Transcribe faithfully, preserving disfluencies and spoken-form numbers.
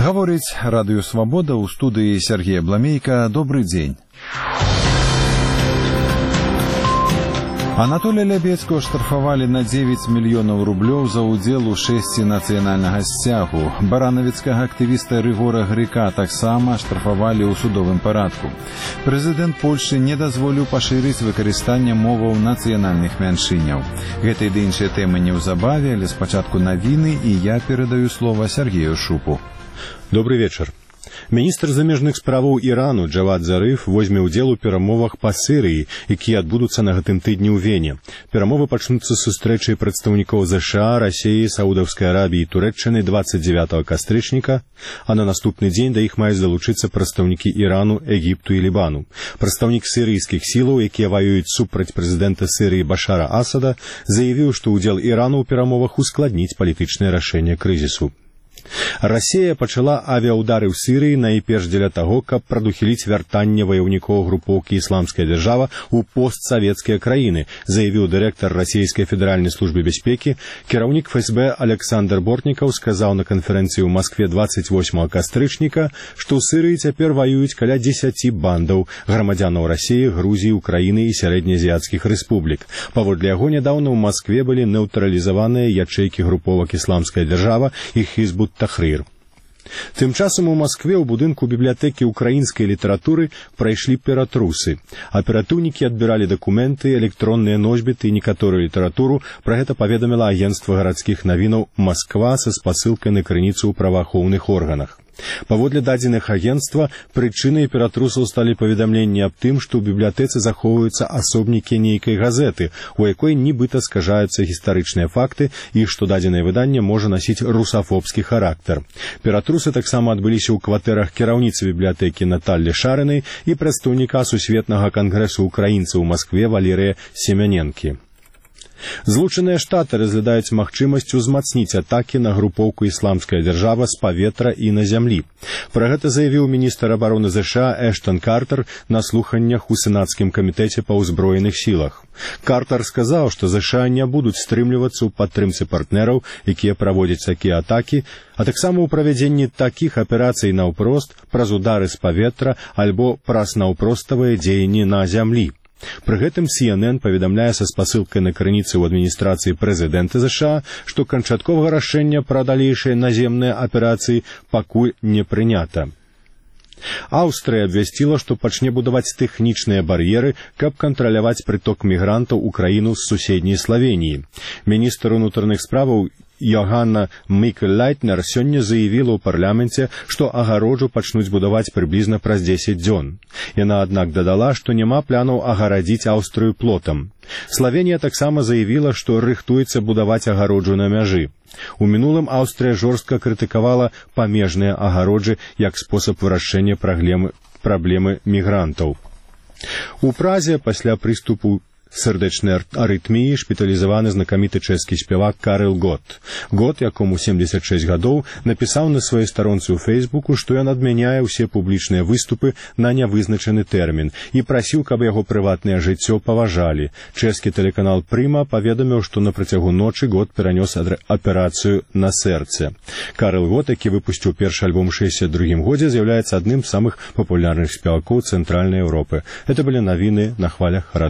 Гаворыць радыё «Свабода», у студыі Сергей Бламейка. Добрый дзень. Анатолія Лябецкага штрафавалі на дзевяць мільёнаў рублёў за ўдзел у шэсці нацыянальнага сцягу. Баранавіцкага актывіста Рыгора Грыка таксама штрафавалі ў судовым парадку. Прэзідэнт Польшчы не дазволіў пашырыць выкарыстанне моваў нацыянальных мяншыняў. Гэта і ды іншыя тэмы неўзабаве, але спачатку навіны, і я перадаю слова Сергею Шупу. Добрый вечер. Міністр замежных справаў Ірану Джавад Зарыф возьме ўдзел у перамовах па Сірыі, якія адбудуцца на гэтым тыдні ў Вене. Перамовы пачнуцца з сустрэчай прадстаўнікоў ЗША, Расіі, Саудаўскай Арабіі і Турэччыны двадцать девятого кастрычніка, а на наступны дзень да іх маюць далучыцца прадстаўнікі Ірану, Егіпту і Лібану. Прадстаўнік сірыйскіх сілаў, якія ваююць супраць прэзідэнта Сірыі Башара Асада, заявіў, што ўдзел Ірану ў перамовах ускладніць палітычнае рашэнне крызісу. Расія пачала авіаўдары ў Сірыі найперш дзеля таго, каб прадухіліць вяртанне ваяўнікоў групоўкі «Ісламская дзяржава» ў постсавецкія краіны, заявіў дырэктар расійскай федэральнай службы бяспекі. Кіраўнік ФСБ Александр Бортнікаў сказаў на канферэнцыі ў Маскве двадцать восьмого кастрычніка, што ў Сірыі цяпер ваююць каля дзесяці бандаў грамадзянаў Расіі, Грузіі, Украіны і сярэднеазіяцкіх рэспублік. Паводле яго, нядаўна ў Маскве былі нейтралізаваныя ячэйкі груповак «Ісламская дзяржава» і Хізбут Тахрир. Тым часам у Маскве ў будынку бібліятэкі украінскай літаратуры прайшлі ператрусы. Аператыўнікі адбіралі дакументы, электронныя носьбіты і некаторую літаратуру. Пра гэта паведаміла агенцтва гарадскіх навінаў «Масква» са спасылкай на крыніцу ў праваахоўных органах. Паводле дадзеных агенцтва, прычынай ператрусаў сталі паведамленні аб тым, што ў бібліятэцы захоўваюцца асобнікі нейкай газеты, у якой нібыта скажаюцца гістарычныя факты і што дадзенае выданне можа насіць русафобскі характар. Ператрусы таксама адбыліся ў кватэрах кіраўніцы бібліятэкі Наталлі Шарынай і прадстаўніка Сусветнага кангрэсу украінцаў у Маскве Валерыя Семяненкі. Злучаныя Штаты разглядаюць магчымасць узмацніць атакі на групоўку «Ісламская дзяржава» з паветра і на зямлі. Пра гэта заявіў міністр абароны ЗША Эштон Картер на слуханнях у сенацкім камітэце па ўзброеных сілах. Картер сказаў, што ЗША не будуць стрымлівацца ў падтрымцы партнераў, якія праводзяць такія атакі, а таксама ў правядзенні такіх аперацый наўпрост праз удары з паветра альбо праз наўпроставыя дзеянні на зямлі. Пры гэтым Си Эн Эн паведамляе са спасылкай на крыніцы ў адміністрацыі прэзідэнта ЗША, што канчатковага рашэння пра далейшыя наземныя аперацыі пакуль не прынята. Аўстрыя абвясціла, што пачне будаваць тэхнічныя бар'еры, каб кантраляваць прыток мігрантаў у краіну з суседняй Славеніі. Міністр унутраных справаў Йоганна Мікл-Лайтнер сёння заявіла ў парламенце, што агароджу пачнуць будаваць прыблізна праз дзесяць дзён. Яна, аднак, дадала, што няма планаў агарадзіць Аўстрыю плотам. Славенія таксама заявіла, што рыхтуецца будаваць агароджу на мяжы. У мінулым Аўстрыя жорстка крытыкавала памежныя агароджы як спосаб вырашэння праблемы, праблемы мігрантаў. У Празе пасля прыступу сардэчнай арытміі шпіталізаваны знакаміты чэшскі спявак Карл Гот. Гот, якому семдзесят шэсць гадоў, напісаў на сваёй старонцы ў Фейсбуку, што ён адмяняе ўсе публічныя выступы на нявызначаны тэрмін і прасіў, каб яго прыватнае жыццё паважалі. Чэшскі тэлеканал Прыма паведаміў, што на працягу ночы Гот перанёс аперацыю на сэрцы. Карл Гот, які выпусціў першы альбом у шэсцьдзесят другім годзе, з'яўляецца адным з самых папулярных спевакоў Цэнтральнай Еўропы. Гэта былі навіны на хвалях радыё